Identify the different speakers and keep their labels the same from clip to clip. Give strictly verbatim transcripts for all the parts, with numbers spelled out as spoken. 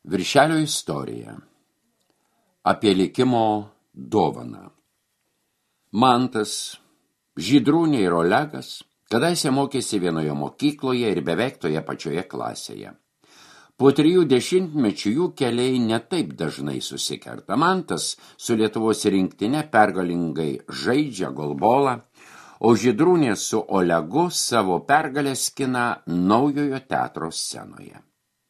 Speaker 1: Viršelio istorija. Apie likimo dovaną. Mantas, Žydrūnė ir Olegas kadaise mokėsi vienoje mokykloje ir beveik toje pačioje klasėje. Po trijų dešimtmečių jų keliai netaip dažnai susikerta. Mantas su Lietuvos rinktine pergalingai žaidžia golbolą, o Žydrūnė su Olegu savo pergalę skina naujojo teatro scenoje.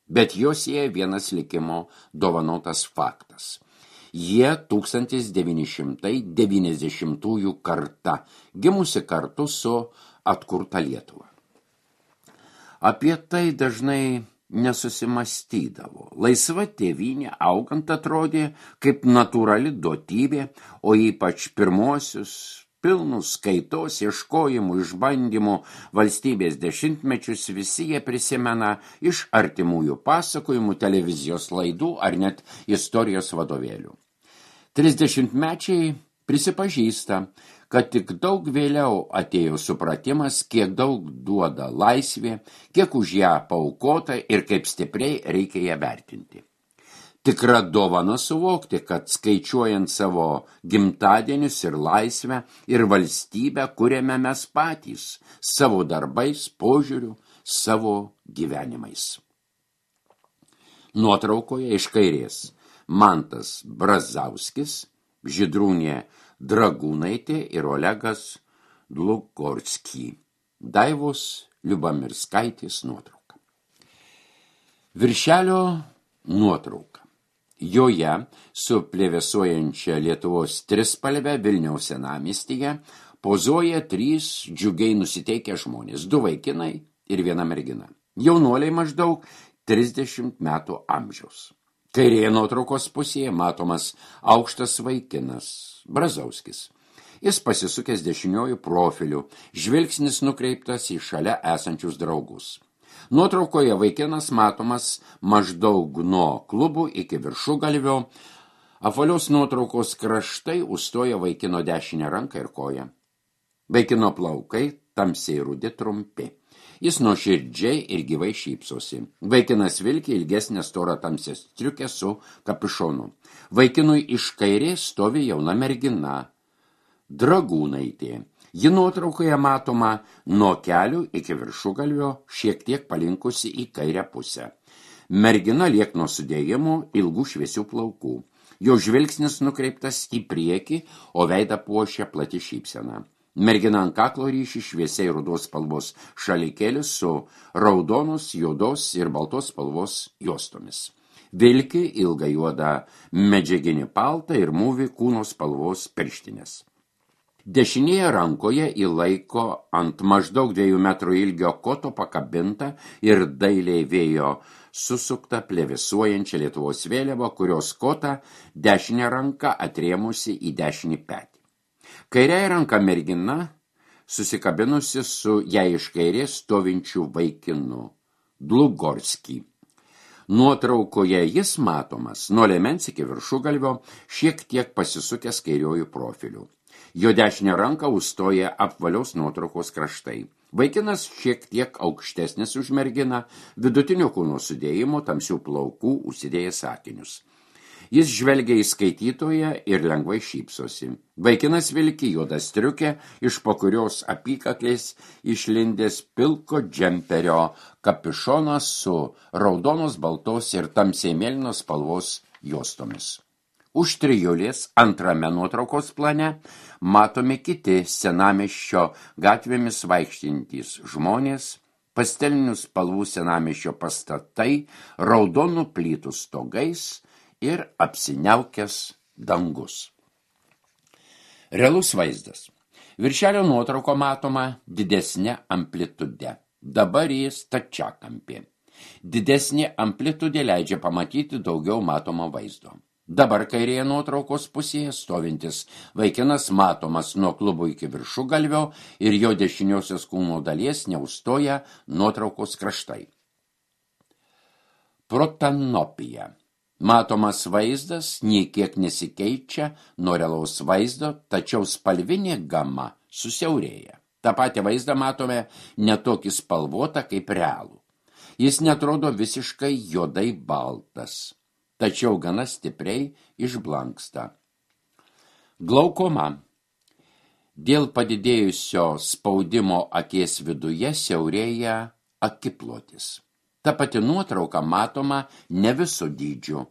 Speaker 1: Bet jos sieja vienas likimo dovanotas faktas. Jie tūkstantis devyni šimtai devyniasdešimtųjų karta, gimusi kartu su atkurta Lietuva. Apie tai dažnai nesusimastydavo. Laisva tėvynė augant atrodė kaip natūrali duotybė, o ypač pirmuosius pilnus kaitos, ieškojimų, išbandymų valstybės dešimtmečius visi jie prisimena iš artimųjų pasakojimų, televizijos laidų ar net istorijos vadovėlių. Trisdešimtmečiai prisipažįsta, kad tik daug vėliau atėjo supratimas, kiek daug duoda laisvė, kiek už ją paaukota ir kaip stipriai reikia ją vertinti. Tikra dovana suvokti, kad skaičiuojant savo gimtadienius ir laisvę ir valstybę kuriame mes patys, savo darbais, požiūriu, savo gyvenimais. Nuotraukoje iš kairės Mantas Brazauskis, Žydrūnė Dragūnaitė ir Olegas Dlugorsky. Daivos Liubamirskaitės nuotrauka. Viršelio nuotrauka. Joje su plevėsuojančia Lietuvos trispalve Vilniaus senamiestyje pozuoja trys džiugiai nusiteikę žmonės, du vaikinai ir viena mergina. Jaunuoliai maždaug trisdešimt metų amžiaus. Kairėje nuotraukos pusėje matomas aukštas vaikinas, Brazauskis. Jis pasisukęs dešiniuoju profiliu, žvilgsnis nukreiptas į šalia esančius draugus. Nuotraukoje vaikinas matomas maždaug nuo klubų iki viršugalvio. Apvalios nuotraukos kraštai užstoja vaikino dešinę ranką ir koją. Vaikino plaukai tamsiai rudi trumpi. Jis nuoširdžiai ir gyvai šypsosi. Vaikinas vilki ilgesnę storą tamsią striukę su kapišonu. Vaikinui iš kairės stovi jauna mergina, Dragūnaitė. Ji nuotraukoje matoma nuo kelių iki viršugalvio, šiek tiek palinkusi į kairę pusę. Mergina liekno sudėjimų, ilgų šviesių plaukų. Jo žvilgsnis nukreiptas į priekį, o veidą puošia plati šypsena. Mergina ant kaklo ryši šviesiai rudos spalvos šalikėlis su raudonos, juodos ir baltos spalvos juostomis. Vilki ilgą juodą medžiaginį paltą ir mūvi kūno spalvos pirštinės. Dešinėje rankoje įlaiko ant maždaug dviejų metrų ilgio koto pakabintą ir dailiai vėjo susuktą plevėsuojančią Lietuvos vėliavą, kurios kotą dešinę ranką atrėmusi į dešinį petį. Kairiąja ranka mergina susikabinusi su jai iš kairės stovinčiu vaikinu, Dlugorsky. Nuotraukoje jis matomas nuo liemens iki viršugalvio, šiek tiek pasisukęs kairiojų profiliu. Jo dešinę ranką užstoja apvalios nuotraukos kraštai. Vaikinas šiek tiek aukštesnis už merginą, vidutinio kūno sudėjimo, tamsių plaukų, užsidėjęs akinius. Jis žvelgia į skaitytoją ir lengvai šypsosi. Vaikinas vilki juodą striukę, iš po kurios apykaklės išlindęs pilko džemperio kapišonas su raudonos, baltos ir tamsiai mėlynos spalvos juostomis. Už trijulės antrame nuotraukos plane matomi kiti senamiesčio gatvėmis vaikštintys žmonės, pastelinių spalvų senamiesčio pastatai, raudonų plytų stogais ir apsiniaukęs dangus. Realus vaizdas. Viršelio nuotrauko matoma didesnė amplitude. Dabar jis stačiakampė. Didesnė amplitudė leidžia pamatyti daugiau matomo vaizdo. Dabar kairėje nuotraukos pusėje stovintis vaikinas matomas nuo klubo iki viršugalvio ir jo dešiniosios kūno dalies neužstoja nuotraukos kraštai. Protanopija. Matomas vaizdas nei kiek nesikeičia nuo realaus vaizdo, tačiau spalvinė gama susiaurėja. Ta patį vaizdą matome netokį spalvotą kaip realų. Jis netrodo visiškai juodai baltas. tačiau gana stipriai išblanksta. Glaukoma. Dėl padidėjusio spaudimo akies viduje siaurėja akiplotis. Ta pati nuotrauka matoma ne viso dydžio.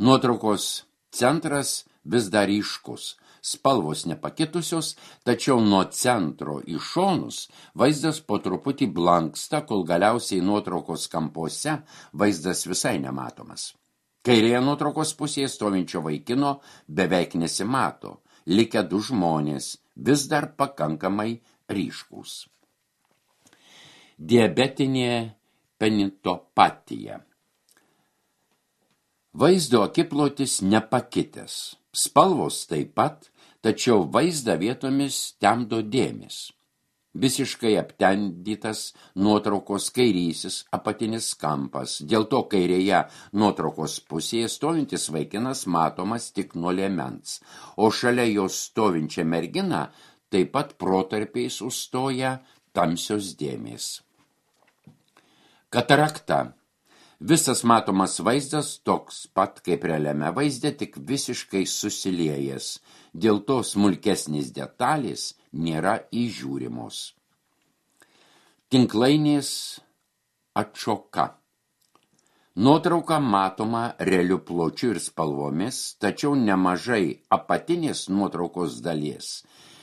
Speaker 1: Nuotraukos centras vis dar ryškus, spalvos nepakitusios, tačiau nuo centro į šonus vaizdas po truputį blanksta, kol galiausiai nuotraukos kampuose vaizdas visai nematomas. Kairėje nuotraukos pusėje stovinčio vaikino beveik nesimato, likę du žmonės, vis dar pakankamai ryškūs. Diabetinė penitopatija. Vaizdo akiplotis nepakitęs, spalvos taip pat, tačiau vaizdą vietomis temdo dėmės. Visiškai aptendytas nuotraukos kairysis apatinis kampas, dėl to kairėje nuotraukos pusėje stovintis vaikinas matomas tik nuo liemens, o šalia jos stovinčia mergina taip pat protarpiais užstoja tamsios dėmės. Katarakta. Visas matomas vaizdas toks pat kaip realiame vaizde, tik visiškai susiliejęs. Dėl to smulkesnės detalės nėra įžiūrimos. Tinklainės atšoka. Nuotrauka matoma realiu pločiu ir spalvomis, tačiau nemažai apatinės nuotraukos dalies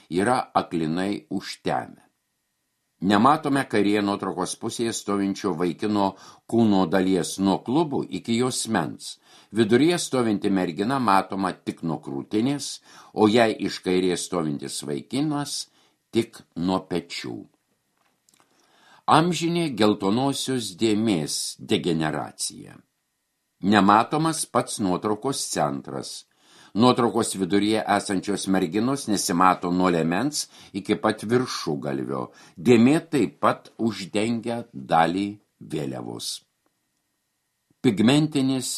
Speaker 1: yra aklinai užtemę. Nematome kairėje nuotraukos pusėje stovinčio vaikino kūno dalies nuo klubų iki jos mens. Viduryje stovinti mergina matoma tik nuo krūtinės, o jai iš kairės stovintis vaikinas tik nuo pečių. Amžinė geltonosios dėmės degeneracija. Nematomas pats nuotraukos centras. Nuotraukos viduryje esančios merginos nesimato nuo liemens iki pat viršugalvio. Dėmė taip pat uždengia dalį vėliavos. Pigmentinis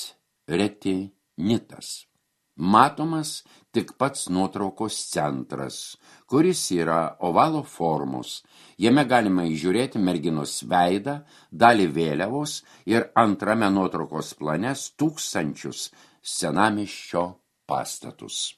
Speaker 1: retinitas. Matomas tik pats nuotraukos centras, kuris yra ovalo formos. Jame galima įžiūrėti merginos veidą, dalį vėliavos ir antrame nuotraukos plane tūkstančius senamiesčio pastatus.